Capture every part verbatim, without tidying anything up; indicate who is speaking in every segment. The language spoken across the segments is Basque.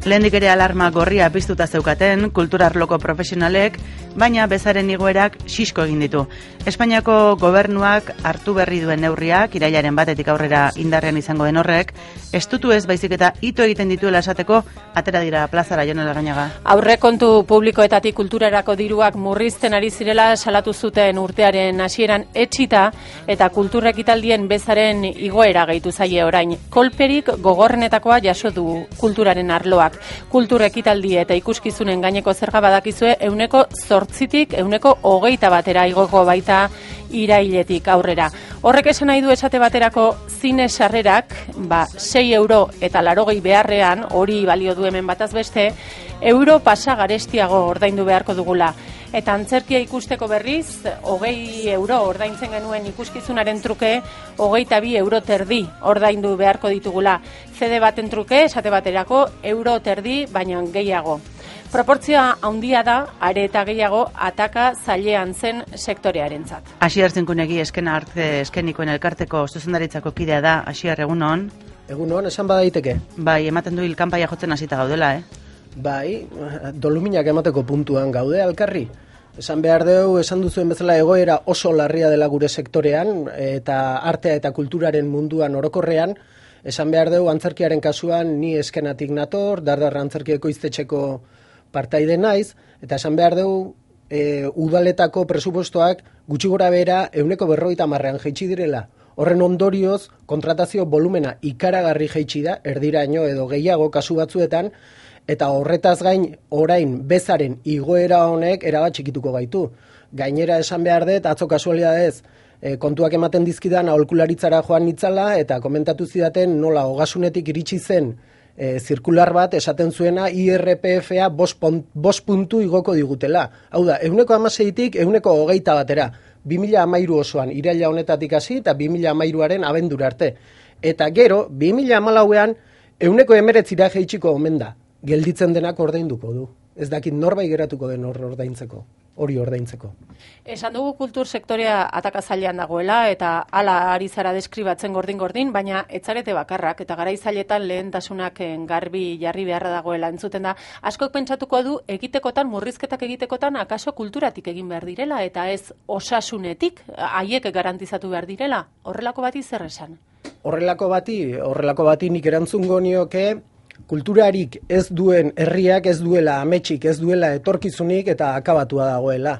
Speaker 1: Lehendik ere alarma gorria piztuta zeukaten kulturarloko profesionalek, baina bezaren igoerak xisko egin ditu. Espainiako gobernuak hartu berri duen neurriak, irailaren batetik aurrera indarrean izango den horrek, estutu ez baizik eta ito egiten dituela esateko, atera dira plazara, Jon Larrañaga.
Speaker 2: Aurrekontu publikoetatik kulturarako diruak murrizten ari zirela salatu zuten urtearen hasieran etxita eta kultura ekitaldien bezaren igoera gehitu zaie orain. Kolperik gogorrenetakoa jaso du kulturaren arloak. Kultur ekitaldi eta ikuskizunen gaineko zerga badakizue euneko zortzitik euneko hogeita batera igoko baita irailetik aurrera. Horrek esan nahi du esate baterako zine sarrerak, ba, sei euro eta larogei beharrean, hori balio du hemen bataz beste, euro pasa garestiago ordaindu beharko dugula. Eta antzerkia ikusteko berriz, hogei euro ordaintzen genuen ikuskizunaren truke, hogeita bi euro terdi ordaindu beharko ditugula. C D baten truke, esate baterako, euro terdi, baina gehiago. Proportzioa handia da, are eta gehiago, ataka zailean zen sektorearentzat.
Speaker 1: Asier Zinkunegi eskena arte eskenikoen elkarteko zuzendaritzako kidea da, Asier, egunon?
Speaker 3: Egunon, esan badaiteke.
Speaker 1: Bai, ematen du hilkanpaia jotzen hasita gaudela, eh?
Speaker 3: Bai, doluminak emateko puntuan gaude alkarri. Esan behar dugu, esan duzuen bezala egoera oso larria dela gure sektorean, eta artea eta kulturaren munduan orokorrean, esan behar dugu antzerkiaren kasuan ni eskenatik nator, Dardar antzerkieko iztetxeko partaide naiz, eta esan behar dugu e, udaletako presupuestoak gutxi gora bera euneko berrogeita hamarrean jaitsi direla. Horren ondorioz, kontratazio volumena ikaragarri jaitsi da, erdiraino edo gehiago kasu batzuetan, eta horretaz gain orain bezaren igoera honek erabat txikituko gaitu. Gainera esan behar dut, atzo kasualidadez, e, kontuak ematen dizkidan aholkularitzara joan nitzala, eta komentatu zidaten nola ogasunetik iritsi zen E, zirkular bat esaten zuena I R P F-a bost puntu igoko digutela. Hau da, euneko hamaseitik euneko hogeita batera. bi mila hamairu osoan iraila honetatik hasi eta bi mila hamairuaren abendura arte. Eta gero, bi mila hamalauean euneko emeretzira jaitsiko omen da. Gelditzen denak ordainduko du. Ez dakit norbait geratuko den hor ordaintzeko, hori ordaintzeko.
Speaker 2: Esan dugu kultur sektorea atakazailean dagoela eta hala ari zara deskribatzen gordin-gordin, baina etzarete bakarrak eta garaizailetan lehentasunak garbi jarri beharra dagoela entzuten da. Askok pentsatuko du egitekotan, murrizketak egitekotan, akaso kulturatik egin behar direla eta ez osasunetik, haiek garantizatu behar direla. Horrelako bati zer esan?
Speaker 3: Horrelako bati, horrelako bati nik erantzungo nioke, kulturarik ez duen herriak ez duela ametsik, ez duela etorkizunik eta akabatua dagoela.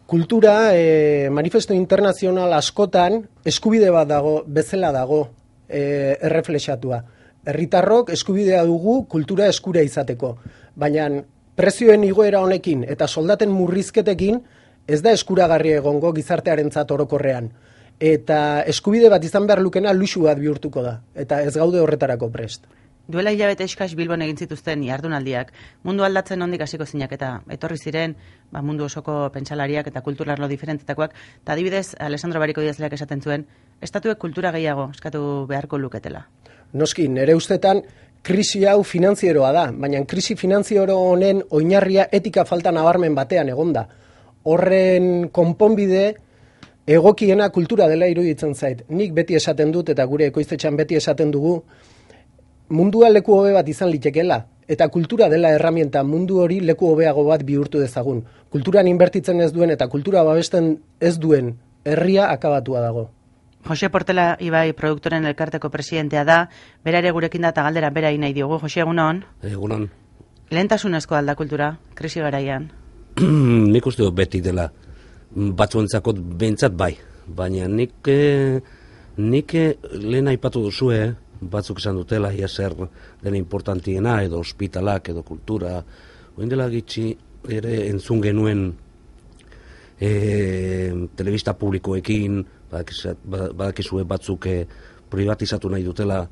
Speaker 3: Kultura e, manifesto internazional askotan eskubide bat dago, bezala dago e, erreflexatua. Herritarrok eskubidea dugu kultura eskura izateko, baina prezioen igoera honekin eta soldaten murrizketekin ez da eskuragarri egongo gizartearentzat orokorrean. Eta eskubide bat izan behar lukena luxu bat bihurtuko da, eta ez gaude horretarako prest.
Speaker 1: Duela hilabete eskas Bilbon egin zituzten jardunaldiak, mundu aldatzen ondik hasiko zinak eta etorri ziren ba, mundu osoko pentsalariak eta kulturarlo diferentetakoak, eta adibidez Alessandro Bariko idazleak esaten zuen, estatuek kultura gehiago eskatu beharko luketela.
Speaker 3: Noski, nire ustetan krisi hau finanzieroa da, baina krisi finanziero honen oinarria etika falta nabarmen batean egonda. Horren konponbide egokiena kultura dela iruditzen zait. Nik beti esaten dut eta gure ekoiztetxean beti esaten dugu, mundua leku hobe bat izan litekeela, eta kultura dela erramienta mundu hori leku hobeago bat bihurtu dezagun. Kulturan inbertitzen ez duen eta kultura babesten ez duen herria akabatua dago.
Speaker 1: Jose Portela Ibai produktoren elkarteko presidentea da, bera ere gurekin da eta galdera bera nahi diogu. Jose, egunon?
Speaker 4: Egunon.
Speaker 1: Lehentasunezko alda kultura, krisi garaian?
Speaker 4: Nik uste dut beti dela, batzuentzako behintzat bai, baina nik, nik lehen aipatu duzue, batzuk esan dutela, ia zer dela importantiena, edo ospitalak, edo kultura. Oin dela gitxi ere entzun genuen e, telebista publikoekin, badakizue batzuk e, privatizatu nahi dutela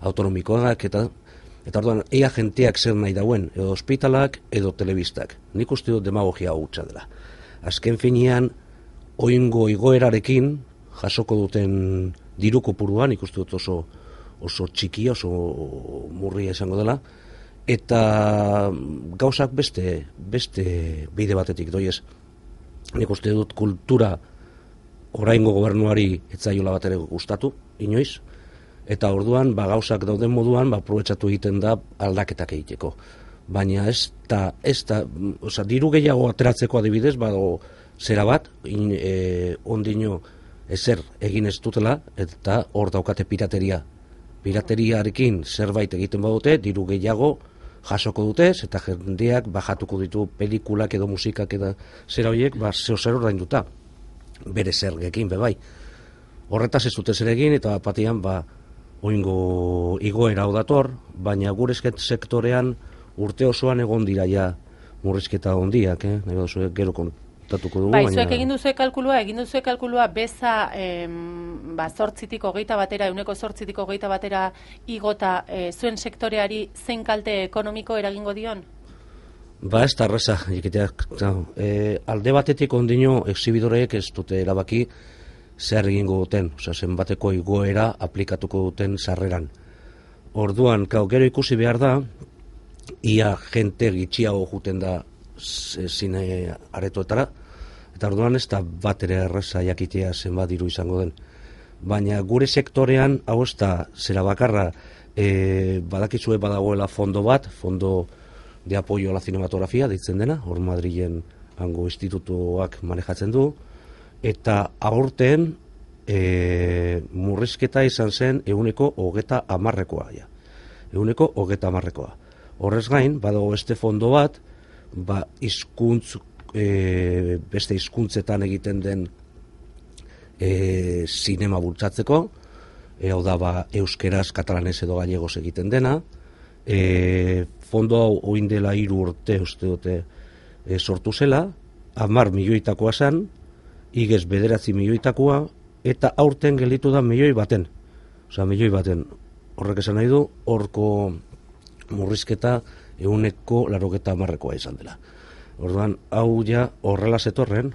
Speaker 4: autonomikoak, eta eta orduan, ea jenteak zer nahi dauen, edo ospitalak, edo telebistak. Nik uste dut demagogia hutsa dela. Azken finean, oingo igoerarekin, jasoko duten diru kopuruan, nik uste dut oso oso txiki, oso murria izango dela, eta gauzak beste, beste bide batetik doiez. Nik uste dut kultura oraingo gobernuari etzaiola bat ere gustatu, inoiz, Eta orduan, ba, gauzak dauden moduan, ba, aprobetxatu egiten da aldaketak egiteko. Baina ez da, ez da, oza, diru gehiago ateratzeko adibidez, badago zera bat, in, e, ondino ezer egin ez dutela, eta hor daukate pirateria. Pirateriarekin zerbait egiten badute, diru gehiago jasoko dute, eta jendeak bajatuko ditu pelikulak edo musikak edo zera horiek, ba, zeo zer ordainduta, bere zergekin, bebai. Horretaz ez dute zer egin, eta patian, ba, oingo igoera dator, baina gure sektorean urte osoan egon dira ja murrizketa hondiak, eh? Nahi baduzu, gero kontatuko dugu.
Speaker 2: Bai, zuek egin duzue kalkulua, egin duzue kalkulua beza em, ba, zortzitik hogeita batera, euneko zortzitik hogeita batera igota e, zuen sektoreari zein kalte ekonomiko eragingo dion?
Speaker 4: Ba, ez da arreza, ikiteak, e, alde batetik ondino exhibidoreek ez dute erabaki zer egingo duten, osea, zenbateko igoera aplikatuko duten sarreran. Orduan, kau, gero ikusi behar da, ia jente gitxiago juten da zine aretoetara, eta orduan ez da bat ere erreza jakitea zenbat diru izango den. Baina gure sektorean, hau ez da, zera bakarra, e, badakizue badagoela fondo bat, fondo de apoyo a la cinematografia, deitzen dena, hor Madrilen hango institutuak manejatzen du, eta aurten e, murrizketa izan zen eguneko hogeta hamarrekoa. Ja. Eguneko hogeta hamarrekoa. Horrez gain, badago beste fondo bat, ba, izkuntz, e, beste hizkuntzetan egiten den e, sinema bultzatzeko, e, hau da, ba, euskeraz, katalanez edo gallegos egiten dena, e, fondo hau oin dela hiru urte uste dute e, sortu zela, hamar milioitakoa zen, igez bederatzi milioitakoa, eta aurten gelditu da milioi baten. Osa, milioi baten. Horrek esan nahi du, horko murrizketa eguneko larogeta hamarrekoa izan dela. Orduan, hau ja horrela zetorren,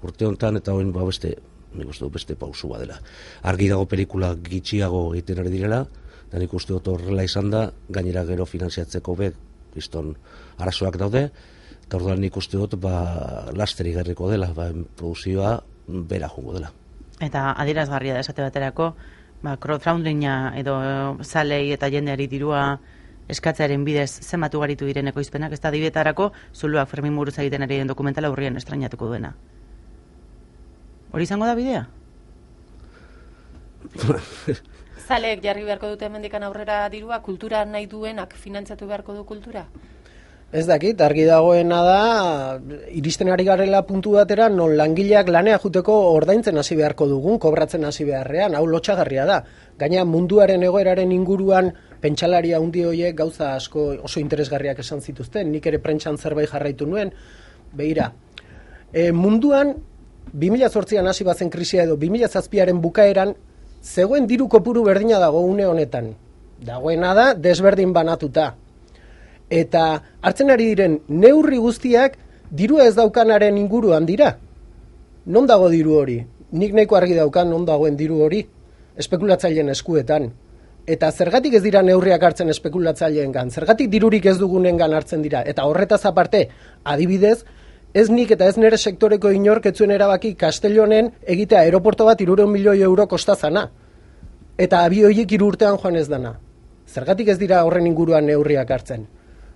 Speaker 4: urte honetan eta hoin ba beste, nik uste dut beste pausu badela. Argi dago pelikula gitxiago egiten ari direla, eta nik uste dut horrela izan da, gainera gero finanziatzeko be, kriston arazoak daude, eta orduan nik uste dut ba, lasteri gerriko dela, ba, produzioa bera jungo dela.
Speaker 1: Eta adierazgarria da esate baterako, ba, crowdfundinga edo zalei eta jendeari dirua eskatzearen bidez zenbatu garitu diren ekoizpenak, ez da dibetarako Zuluak Fermin Muruza egiten ari den dokumentala urrian estrainatuko duena. Hori izango da bidea?
Speaker 2: Zaleek jarri beharko dute hemendikan aurrera dirua, kultura nahi duenak finantzatu beharko du kultura?
Speaker 3: Ez dakit, argi dagoena da, iristen ari garela puntu batera, non langileak lanea juteko ordaintzen hasi beharko dugun, kobratzen hasi beharrean, hau lotxagarria da. Gaina munduaren egoeraren inguruan, pentsalaria handi horiek gauza asko oso interesgarriak esan zituzten, nik ere prentsan zerbait jarraitu nuen, behira. E, munduan, bi mila zortzian hasi bazen krisia edo bi mila zazpiaren bukaeran, zegoen diru kopuru berdina dago une honetan. Dagoena da, desberdin banatuta. Eta hartzen ari diren neurri guztiak dirua ez daukanaren inguruan dira. Non dago diru hori? Nik nahiko argi daukan non dagoen diru hori? Espekulatzaileen eskuetan. Eta zergatik ez dira neurriak hartzen espekulatzaileen, zergatik dirurik ez dugunengan hartzen dira. Eta horretaz aparte, adibidez, ez nik eta ez nire sektoreko inork etzuen erabaki Castellonen egitea aeroporto bat hirurehun milioi euro kostazana. Eta abioiek hiru urtean joan ez dana. Zergatik ez dira horren inguruan neurriak hartzen.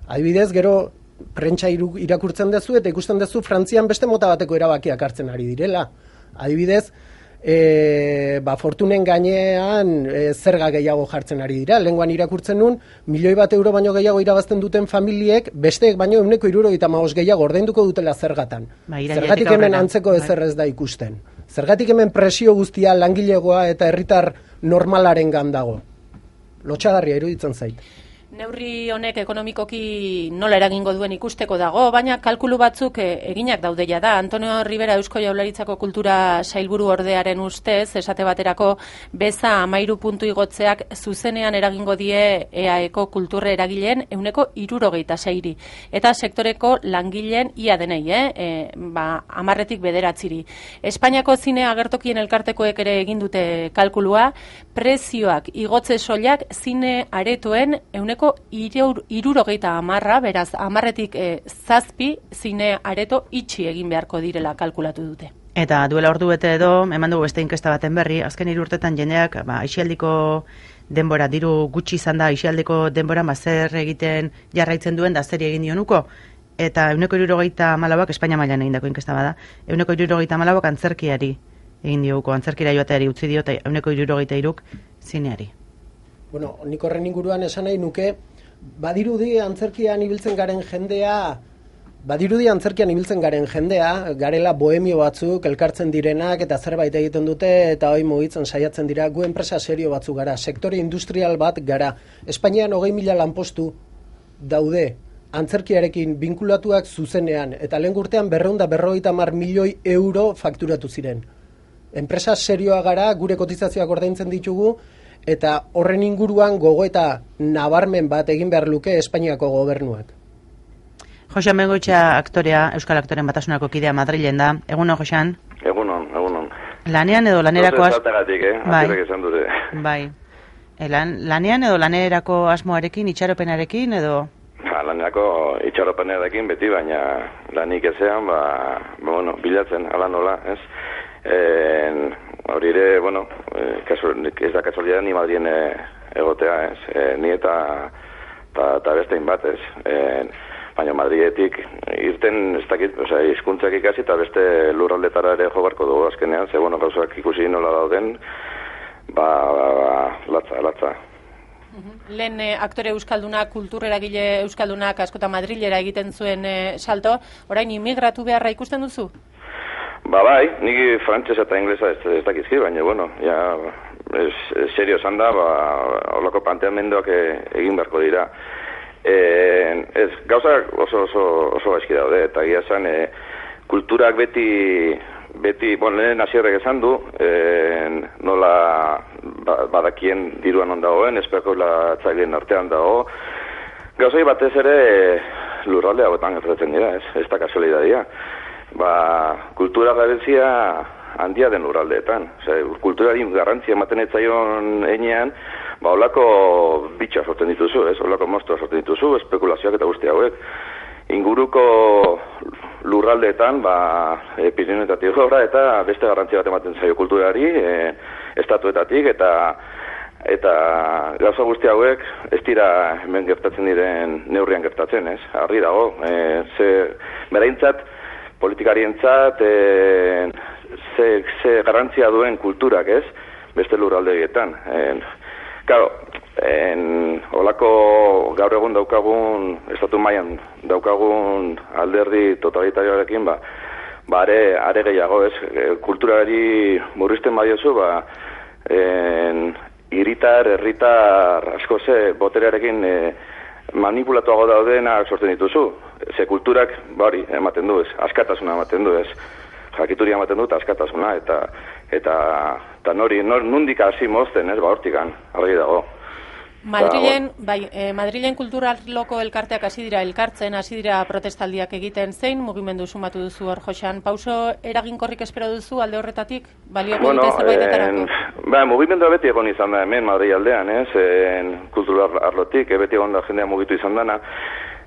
Speaker 3: Adibidez, gero prentsa irakurtzen dezu eta ikusten dezu Frantzian beste mota bateko erabakiak hartzen ari direla. Adibidez, e, ba, fortunen gainean e, zerga gehiago jartzen ari dira. Lenguan irakurtzen nun, milioi bat euro baino gehiago irabazten duten familiek, besteek baino euneko hirurogeita hamabost gehiago ordainduko dutela zergatan.
Speaker 1: Ba,
Speaker 3: zergatik hemen antzeko ezer ez da ikusten. Zergatik hemen presio guztia langilegoa eta herritar normalaren gandago. Lotxagarria iruditzen zait.
Speaker 2: Neurri honek ekonomikoki nola eragingo duen ikusteko dago, baina kalkulu batzuk eginak daudeia da. Antonio Rivera Eusko Jaurlaritzako Kultura Sailburu Ordearen ustez, esate baterako beza amairu puntu igotzeak zuzenean eragingo die E A Eko kulturre eragileen euneko hirurogeita seiri. Eta sektoreko langileen ia denei, eh? E, ba, amarretik bederatziri. Espainiako zine agertokien elkartekoek ere egin dute kalkulua, prezioak igotze soilak zine aretoen euneko hirurogeita hamarra, beraz, hamarretik e, zazpi zine areto itxi egin beharko direla kalkulatu dute.
Speaker 1: Eta duela ordu bete edo, eman dugu beste inkesta baten berri, azken hiru urtetan jendeak, ba, aisialdiko denbora, diru gutxi izan da isialdeko denbora, mazer egiten jarraitzen duen da zeri egin dionuko, eta euneko hirurogeita hamalauak Espainia mailan egindako inkesta bada, euneko hirurogeita hamalauak antzerkiari egin dioguko, antzerkira joateari utzi dio, eta euneko hirurogeita hiruk zineari.
Speaker 3: Bueno, nik horren inguruan esan nahi nuke, badirudi antzerkian ibiltzen garen jendea, badirudi antzerkian ibiltzen garen jendea, garela bohemio batzuk, elkartzen direnak, eta zerbait egiten dute, eta hoi mugitzen saiatzen dira, gu enpresa serio batzuk gara, sektore industrial bat gara. Espainian hogei mila lanpostu daude, antzerkiarekin binkulatuak zuzenean, eta lehen urtean berrehun eta berrogeita hamar milioi euro fakturatu ziren. Enpresa serioa gara, gure kotizazioak ordaintzen ditugu, eta horren inguruan gogoeta nabarmen bat egin behar luke Espainiako gobernuak.
Speaker 1: Joxan Bengoetxea aktorea, Euskal Aktoren Batasunako kidea Madrilen da. Egunon, Joxan?
Speaker 5: Egunon, egunon.
Speaker 1: Lanean edo lanerako asmo...
Speaker 5: Zaltagatik, eh? Bai. Dure.
Speaker 1: Bai. E, lan, lanean edo lanerako asmoarekin, itxaropenarekin edo...
Speaker 5: Ha, lanerako itxaropenarekin beti, baina lanik ezean, ba, ba bueno, bilatzen, ala nola, ez? En, hori ere, bueno, eh, kasu, ez da kasualidad ni Madrien eh, egotea, ez? Eh, ni eta, ta, ta bestein bat, ez? Eh, baina Madrietik irten ez dakit, osea, hizkuntzak ikasi eta beste lurraldetara ere jo barko dugu azkenean, ze bueno, gauzak ikusi nola dauden, ba, ba, ba latza, latza.
Speaker 2: Lehen eh, aktore euskalduna, kultureragile euskaldunak askota Madrilera egiten zuen eh, salto, orain imigratu beharra ikusten duzu?
Speaker 5: Ba bai, niki frantsesa eta inglesa ez, ez dakizki, baina bueno, ja, es, es serio esan da, ba, holako planteamenduak egin beharko dira. Eh, ez, gauzak oso oso oso gaizki daude, eta egia esan eh, kulturak beti beti, bueno, lehen hasierrek esan du, eh, nola ba, badakien diruan on dagoen, espekulatzaileen artean dago. Gauzai batez ere lurralde hauetan gertatzen dira, ez, ez da kasualidadia. Ba, kultura garrantzia handia den lurraldeetan. Osea, kulturari garrantzia ematen ez zaion heinean, ba, holako bitxa sortzen dituzu, ez? Holako moztua sortzen dituzu, espekulazioak eta guzti hauek. Inguruko lurraldeetan, ba, e, Pirinioetatik gora eta beste garrantzia bat ematen zaio kulturari, e, estatuetatik, eta eta gauza guzti hauek ez dira hemen gertatzen diren neurrian gertatzen, ez? Argi dago, e, ze beraintzat politikarientzat e, ze, ze garrantzia duen kulturak, ez? Beste lurraldegietan. E, claro, en olako gaur egun daukagun, estatu mailan daukagun alderdi totalitarioarekin, ba, ba are, are gehiago, ez? E, kulturari murrizten badiozu, ba, en, hiritar, herritar asko ze boterearekin e, manipulatuago daudenak sortzen dituzu. Ze kulturak, bari, ematen du, ez, askatasuna ematen du, ez, jakituria ematen du, eta askatasuna, eta, eta, eta nori, nor, nundik hasi mozten, ez, ba, hortikan, argi dago.
Speaker 2: Madrilen, bai, eh, Madrilen kulturarloko elkarteak hasi dira elkartzen, hasi dira protestaldiak egiten, zein mugimendu sumatu duzu hor, Joxan? Pauso eraginkorrik espero duzu alde horretatik? Balioko
Speaker 5: bueno,
Speaker 2: dute zerbaitetarako?
Speaker 5: En, ba, mugimendua beti egon izan da hemen Madri aldean, ez, en, kulturarlotik, e, beti egon da jendea mugitu izan dana.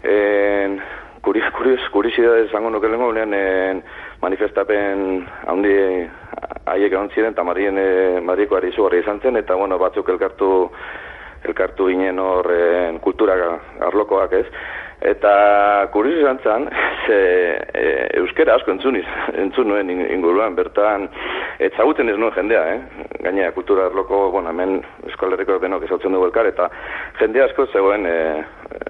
Speaker 5: En, kurios, kurios, kuriosidade zango nuke lengo, en, manifestapen handi haiek egon ziren, eta Madrien, e, Madriko ari izugarri izan zen, eta bueno, batzuk elkartu elkartu ginen horren kultura arlokoak, ez? Eta kurioso izan zen, ze e, euskera asko entzun, entzun nuen inguruan, bertan etzaguten ez nuen jendea, eh? Gainera kultura arloko, bueno, hemen Euskal Herriko denok ezautzen dugu elkar, eta jende asko zegoen e,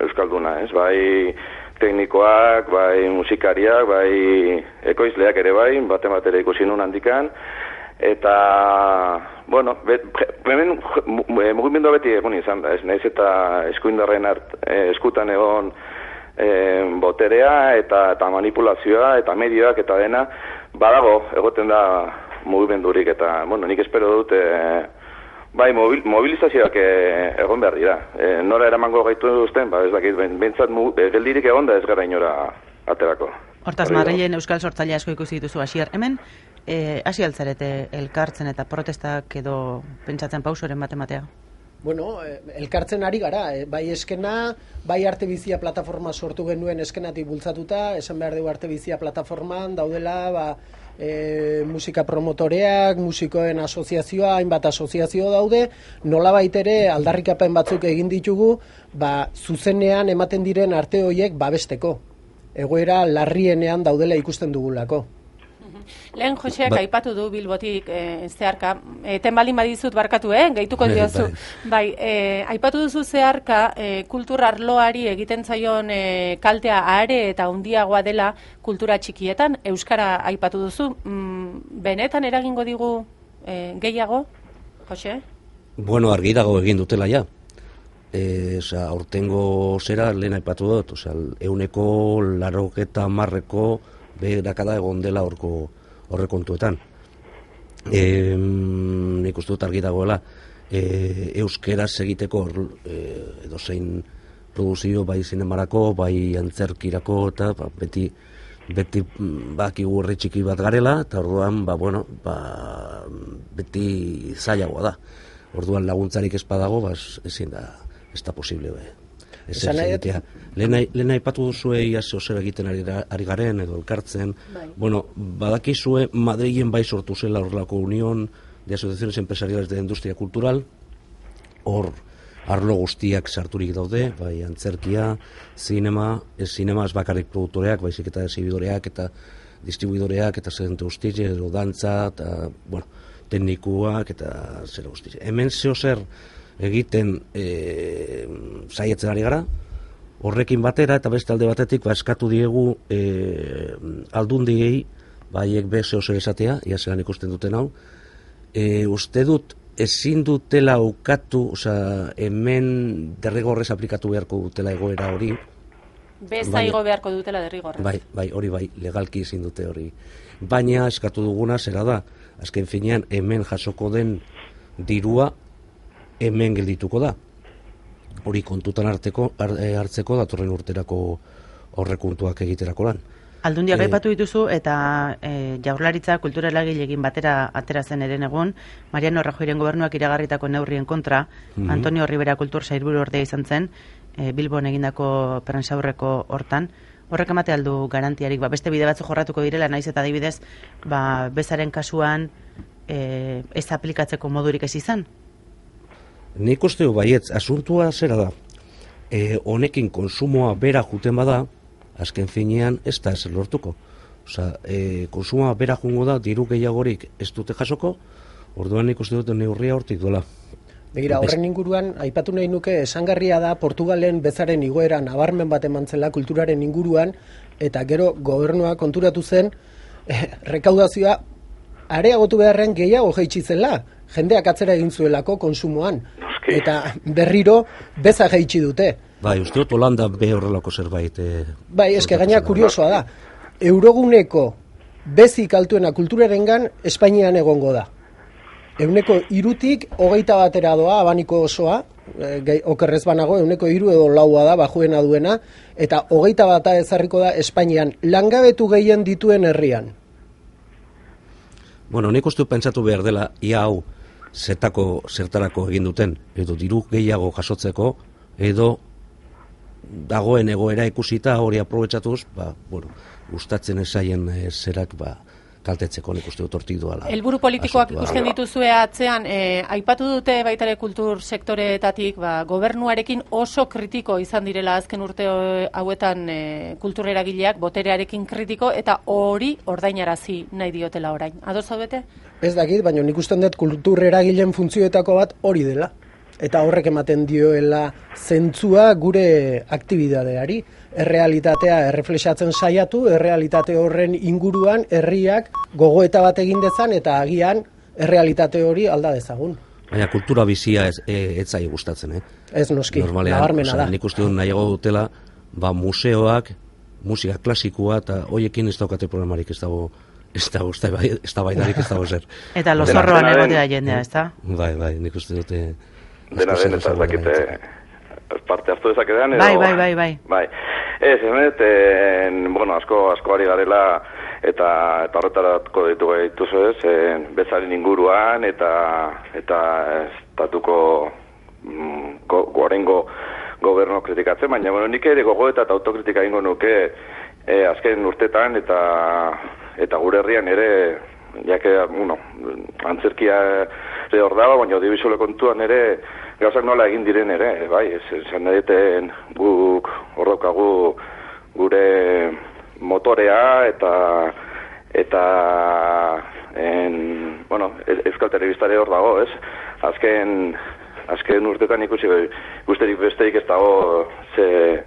Speaker 5: euskalduna, ez? Bai teknikoak, bai musikariak, bai ekoizleak ere bai, bate batera ikusi nuen handikan, eta, bueno, bet, hemen mugimendua beti egon izan da, ez naiz eta eskuindarren art, eh, eskutan egon eh, boterea eta, eta manipulazioa eta medioak eta dena, badago egoten da mugimendurik eta, bueno, nik espero dut, eh, bai, mobil, mobilizazioak eh, egon behar dira. Eh, nora eramango gaitu duzten, ba, ez dakit, bentsat eh, geldirik egon da ez gara inora aterako.
Speaker 1: Hortaz, Madrilen euskal sortzaile asko ikusi dituzu hasier. Hemen, hasi e, altzarete elkartzen eta protestak edo pentsatzen pausoren bat ematea?
Speaker 3: Bueno, elkartzen ari gara, eh? bai eskena, bai arte bizia plataforma sortu genuen eskenatik bultzatuta, esan behar dugu arte bizia plataforman daudela, ba, e, musika promotoreak, musikoen asoziazioa, hainbat asoziazio daude, nolabait ere aldarrikapen batzuk egin ditugu, ba, zuzenean ematen diren arte horiek babesteko. Egoera larrienean daudela ikusten dugulako.
Speaker 2: Lehen Joseak ba, aipatu du Bilbotik e, zeharka, eten balin badizut barkatu, eh? Gehituko diozu. Bai, e, aipatu duzu zeharka e, kultur arloari egiten zaion e, kaltea are eta handiagoa dela kultura txikietan, euskara aipatu duzu. Mm, benetan eragingo digu e, gehiago, Jose?
Speaker 4: Bueno, argi dago egin dutela ja. E, oza, aurtengo zera lehen aipatu dut, oza, euneko larogeta marreko beherakada egon dela horko horrekontuetan. E, nik uste dut argi dagoela, e, euskeraz egiteko e, edo zein produzio bai zinemarako, bai antzerkirako, eta ba, beti beti bakigu herri txiki bat garela, eta orduan, ba, bueno, ba, beti zailagoa da. Orduan laguntzarik ez badago, ba, ezin da, ez da posible, be. Lehen aipatu duzue ia zer egiten ari, ari garen edo elkartzen. Bai. Bueno, badakizue Madrilen bai sortu zela horrelako Unión de Asociaciones Empresariales de Industria Cultural. Hor arlo guztiak sarturik daude, bai antzerkia, zinema, ez zinema ez bakarrik produktoreak, baizik eta exhibidoreak eta distribuidoreak eta zente guztiak, edo dantza, eta, bueno, teknikuak eta zer guztiak. Hemen zeo zer egiten e, saietzen ari gara, horrekin batera eta beste alde batetik ba, eskatu diegu e, aldundiei, baiek be zeo zer esatea, ia zelan ikusten duten hau, e, uste dut ezin dutela ukatu, oza, hemen derrigorrez aplikatu beharko dutela egoera hori.
Speaker 2: Beza igo beharko dutela derrigorrez.
Speaker 4: Bai, bai, hori bai, legalki ezin dute hori. Baina eskatu duguna zera da, azken finean hemen jasoko den dirua hemen geldituko da. Hori kontutan harteko, hartzeko datorren urterako horrekuntuak egiterako lan.
Speaker 1: Aldundiak aipatu dituzu eta e, Jaurlaritza kultura eragileekin batera atera zen eren egun, Mariano Rajoyren gobernuak iragarritako neurrien kontra, mm-hmm. Antonio Rivera kultur sailburu ordea izan zen, e, Bilbon egindako prentsaurreko hortan. Horrek emate aldu garantiarik, ba, beste bide batzu jorratuko direla, naiz eta adibidez, ba, bezaren kasuan e, ez aplikatzeko modurik ez izan?
Speaker 4: Nik uste du baietz, asuntua zera da, e, honekin konsumoa bera juten bada, azken finean ez da ez lortuko. Osa, e, konsumoa bera jungo da, diru gehiagorik ez dute jasoko, orduan nik uste dut neurria hortik duela.
Speaker 3: Begira, horren inguruan, aipatu nahi nuke, esangarria da Portugalen bezaren igoera nabarmen bat emantzela kulturaren inguruan, eta gero gobernua konturatu zen, eh, rekaudazioa areagotu beharren gehiago jaitsi zela, jendeak atzera egin zuelako konsumoan, eta berriro beza jaitsi dute.
Speaker 4: Bai, uste dut Holanda be horrelako zerbait. Eh,
Speaker 3: bai, eske gaina kuriosoa da, euroguneko bezik altuena kulturarengan Espainian egongo da. Euneko irutik hogeita batera doa, abaniko osoa, e, okerrez banago, euneko iru edo laua da, bajuena duena, eta hogeita bata ezarriko da Espainian, langabetu gehien dituen herrian.
Speaker 4: Bueno, nik uste pentsatu behar dela, ia hau zertako, zertarako egin duten, edo diru gehiago jasotzeko, edo dagoen egoera ikusita hori aprobetxatuz, ba, bueno, gustatzen esaien e, zerak, ba, kaltetzeko nik uste dut hortik duala.
Speaker 2: Helburu politikoak ikusten dituzue atzean, eh, aipatu dute baitare kultur sektoreetatik, ba, gobernuarekin oso kritiko izan direla azken urte hauetan eh, kultur eragileak, boterearekin kritiko, eta hori ordainarazi nahi diotela orain. Ados zaudete?
Speaker 3: Ez dakit, baina nik usten dut kultur eragileen funtzioetako bat hori dela. Eta horrek ematen dioela zentzua gure aktibidadeari. Errealitatea erreflexatzen saiatu, errealitate horren inguruan herriak gogoeta bat egin dezan eta agian errealitate hori alda dezagun.
Speaker 4: Baina kultura bizia ez, ez zai gustatzen, eh?
Speaker 3: Ez noski, nabarmena da.
Speaker 4: Nik uste dut nahiago dutela, ba, museoak, musika klasikoa eta hoiekin ez daukate programarik ez dago, ez dago, ez da baidarik ez dago zer.
Speaker 1: Eta lozorroan egotea jendea, ez da?
Speaker 4: Bai, bai, nik uste dute...
Speaker 5: Dena den, eta ez dakite parte hartu dezaketan, edo...
Speaker 1: Bai, bai, bai, bai.
Speaker 5: Bai. Ez, emet, en, bueno, asko, asko ari garela, eta eta horretarako ditu gaituzu ez, en, bezaren inguruan, eta eta estatuko mm, go, gorengo gobernu kritikatzen, baina bueno, nik ere gogoeta eta autokritika ingo nuke e, azken urtetan eta eta gure herrian ere, jake, bueno, antzerkia ere hor dago, baina audiovisuale kontuan ere gauzak nola egin diren ere, bai, esan edeten guk hor daukagu gure motorea eta eta en, bueno, Euskal Telebistare hor dago, ez? Azken azken urtetan ikusi ikusterik besterik ez dago ze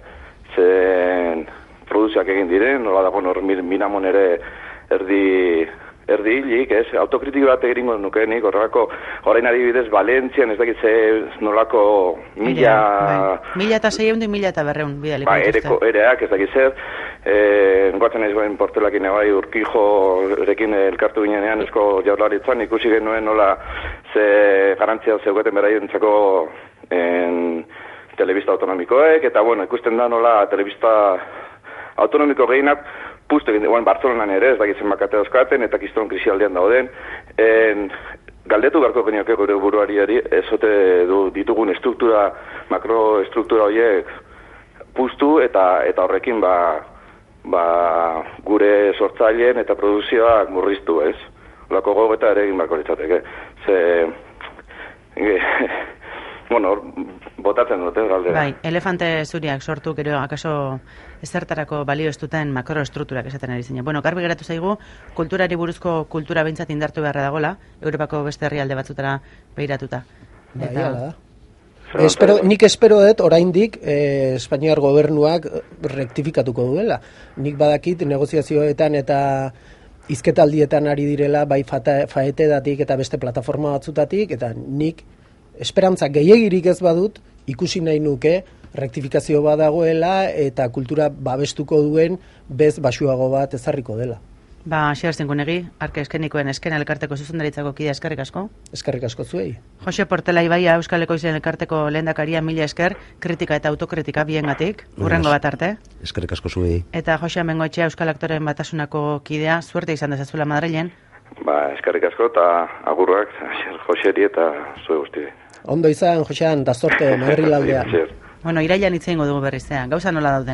Speaker 5: zen produzioak egin diren, nola dago nor Minamon ere erdi erdi hilik, ez? Autokritiko bat egingo nuke nik, horrelako orain adibidez Valentzian ez dakit ze nolako mila
Speaker 1: mila eta seiehun eta mila eta berrehun bidaliko
Speaker 5: ba, ereko, ereak ez dakit zer eh, engoatzen naiz bain portelakin bai Urkijo erekin elkartu ginenean esko jaurlaritzan ikusi genuen nola ze garantzia zeugaten beraientzako en telebista autonomikoek eta bueno, ikusten da nola telebista autonomiko gehienak puztu egin, bueno, Bartzelonan ere, ez dakitzen bakate dauzkaten, eta kiston krisialdean dauden, en, galdetu beharko genioke gure buruari, ezote du, ditugun estruktura, makroestruktura horiek puztu, eta eta horrekin ba, ba, gure sortzaileen eta produzioak murriztu, ez? Olako gogeta ere egin beharko litzateke. Ze, e, bueno, botatzen dute galdera.
Speaker 1: Bai, elefante zuriak sortu, gero, akaso ezertarako balio ez duten makroestrukturak esaten ari zinen. Bueno, garbi geratu zaigu, kulturari buruzko kultura behintzat indartu beharra dagola, Europako beste herrialde batzutara behiratuta.
Speaker 3: Bai, eta... da. Espero, nik espero dut, oraindik, eh, Espainiar gobernuak rektifikatuko duela. Nik badakit negoziazioetan eta hizketaldietan ari direla, bai faetedatik eta beste plataforma batzutatik, eta nik esperantza gehiagirik ez badut, ikusi nahi nuke, rektifikazio bat dagoela eta kultura babestuko duen bez basuago bat ezarriko dela.
Speaker 1: Ba, Xabier Zingunegi, Arke Eskenikoen Eskena elkarteko zuzendaritzako kidea, eskerrik asko.
Speaker 3: Eskerrik asko zuei.
Speaker 1: Jose Portela Ibaia, Euskal Ekoizien elkarteko lehendakaria, mila esker, kritika eta autokritika biengatik, hurrengo bat arte.
Speaker 4: Eskerrik asko zuei.
Speaker 1: Eta Jose Amengoetxea, Euskal Aktoreen Batasunako kidea, suerte izan dezazuela Madrilen.
Speaker 5: Ba, eskerrik asko eta agurrak, Joseri eta zue guzti.
Speaker 3: Ondo izan, Josean, da sorte Madrilaldean.
Speaker 1: Bueno, irailan hitz egingo dugu berriz, gauza nola dauden.